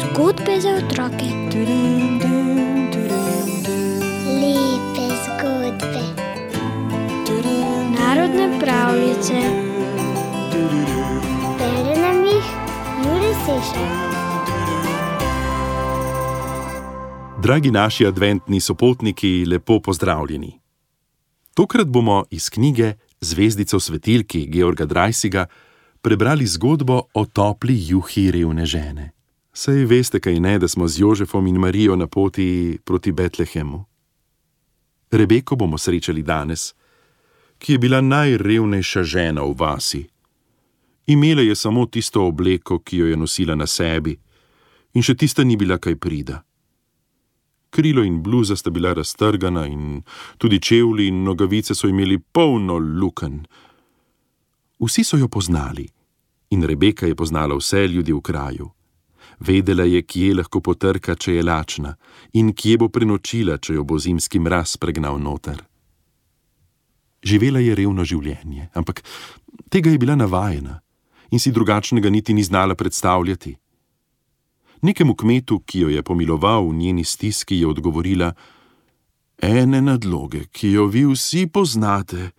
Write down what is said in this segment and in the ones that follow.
Zgodbe za otroke. Lepe zgodbe. Narodne pravljice. Bere nam jih Jure Sešar. Dragi naši adventni sopotniki, lepo pozdravljeni. Tokrat bomo iz knjige Zvezdica v svetilki Georga Dreisiga prebrali zgodbo o topli juhi revne žene. Saj veste, kaj ne, da smo z Jožefom in Marijo na poti proti Betlehemu. Rebeko bomo srečali danes, ki je bila najrevnejša žena v vasi. Imela je samo tisto obleko, ki jo je nosila na sebi, in še tista ni bila kaj prida. Krilo in bluza sta bila raztrgana in tudi čevlji in nogavice so imeli polno lukenj. Vsi so jo poznali in Rebeka je poznala vse ljudi v kraju. Vedela je, kje lahko potrka, če je lačna, in kje bo prenočila, če jo bo zimski mraz pregnal noter. Živela je revno življenje, ampak tega je bila navajena in si drugačnega niti ni znala predstavljati. Nekemu kmetu, ki jo je pomiloval v njeni stiski, je odgovorila: "Ene nadloge, ki jo vi vsi poznate,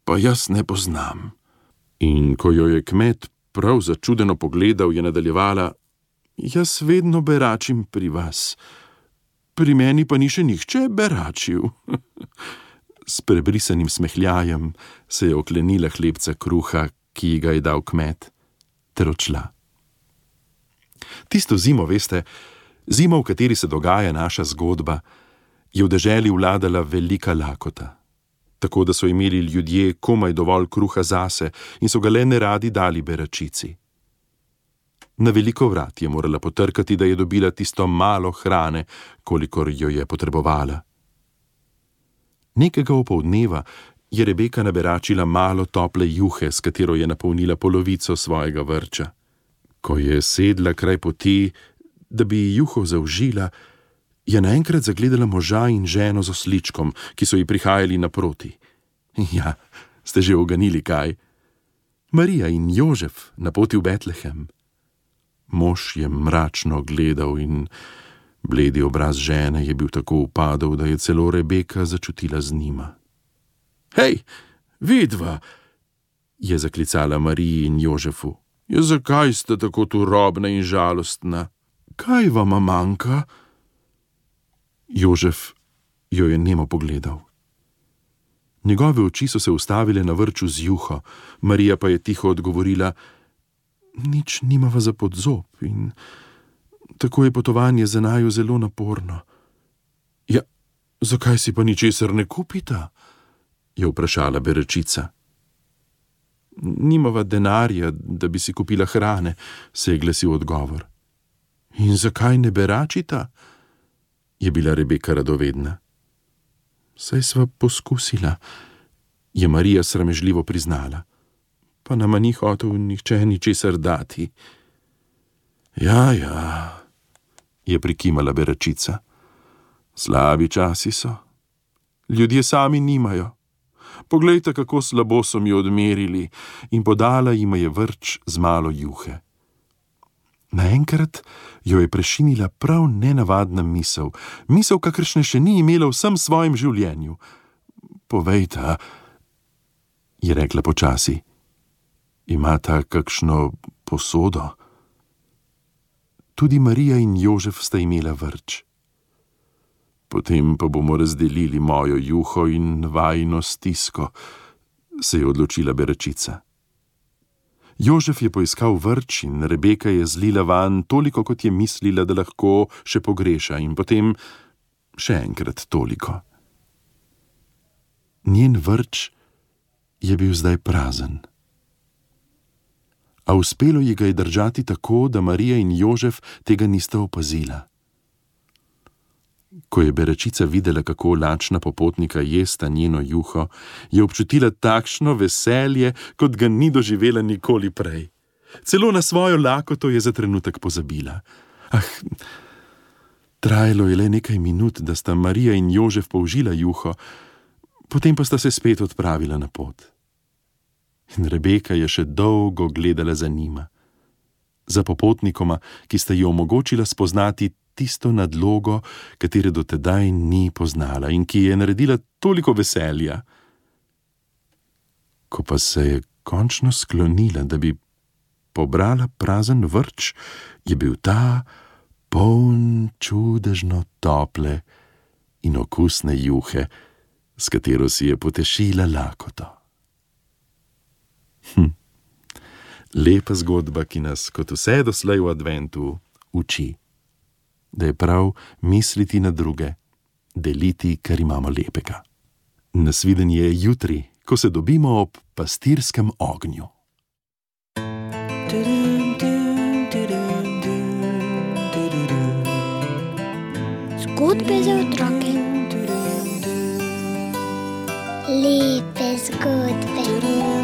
pa jaz ne poznam." In ko jo je kmet prav začudeno pogledal, je nadaljevala: "Jaz vedno beračim pri vas, pri meni pa ni še nihče beračil." S prebrisanim smehljajem se je oklenila hlebca kruha, ki ji ga je dal kmet, ter odšla. Tisto zimo, veste, zimo, v kateri se dogaja naša zgodba, je v deželi vladala velika lakota. Tako da so imeli ljudje komaj dovolj kruha zase in so ga le neradi dali beračici. Na veliko vrat je morala potrkati, da je dobila tisto malo hrane, kolikor jo je potrebovala. Nekega opoldneva je Rebeka naberačila malo tople juhe, s katero je napolnila polovico svojega vrča. Ko je sedla kraj poti, da bi juho zaužila, je naenkrat zagledala moža in ženo z osličkom, ki so ji prihajali naproti. Ja, ste že uganili kaj? Marija in Jožef na poti v Betlehem. Mož je mračno gledal in bledi obraz žene je bil tako upadel, da je celo Rebeka začutila z njima. "Hej, vidva!" je zaklicala Mariji in Jožefu. "Ja, zakaj ste tako turobna in žalostna? Kaj vama manjka?" Jožef jo je nemo pogledal. Njegove oči so se ustavile na vrču z juho, Marija pa je tiho odgovorila: "Nič nimava za podzob in tako je potovanje za naju zelo naporno." "Ja, zakaj si pa ničesar ne kupita?" je vprašala beračica. "Nimava denarja, da bi si kupila hrane," se je glasil odgovor. "In zakaj ne beračita?" je bila Rebeka radovedna. "Saj sva poskusila," je Marija sramežljivo priznala. "Pa nama ni hotel nihče ničesar dati." Ja, je prikimala beračica. "Slabi časi so. Ljudje sami nimajo. Poglejte, kako slabo so mi odmerili," in podala jima je vrč z malo juhe. Naenkrat jo je prešinila prav nenavadna misel, kakršne še ni imela v vsem svojem življenju. "Povejta," je rekla počasi, "imata kakšno posodo?" Tudi Marija in Jožef sta imela vrč. "Potem pa bomo razdelili mojo juho in vajino stisko," se je odločila beračica. Jožef je poiskal vrč in Rebeka je zlila vanj toliko, kot je mislila, da lahko še pogreša, in potem še enkrat toliko. Njen vrč je bil zdaj prazen. A uspelo ji ga je držati tako, da Marija in Jožef tega nista opazila. Ko je beračica videla, kako lačna popotnika jesta njeno juho, je občutila takšno veselje, kot ga ni doživela nikoli prej. Celo na svojo lakoto je za trenutek pozabila. Trajalo je le nekaj minut, da sta Marija in Jožef použila juho, potem pa sta se spet odpravila na pot. In Rebeka je še dolgo gledala za njima. Za popotnikoma, ki sta ji omogočila spoznati tisto nadlogo, katere do tedaj ni poznala in ki je naredila toliko veselja. Ko pa se je končno sklonila, da bi pobrala prazen vrč, je bil ta poln čudežno tople in okusne juhe, s katero si je potešila lakoto. Lepa zgodba, ki nas, kot vse doslej v adventu, uči, da je prav misliti na druge, deliti, kar imamo lepega. Nasvidenje jutri, ko se dobimo ob pastirskem ognju. Zgodbe za otroke. Lepe zgodbe.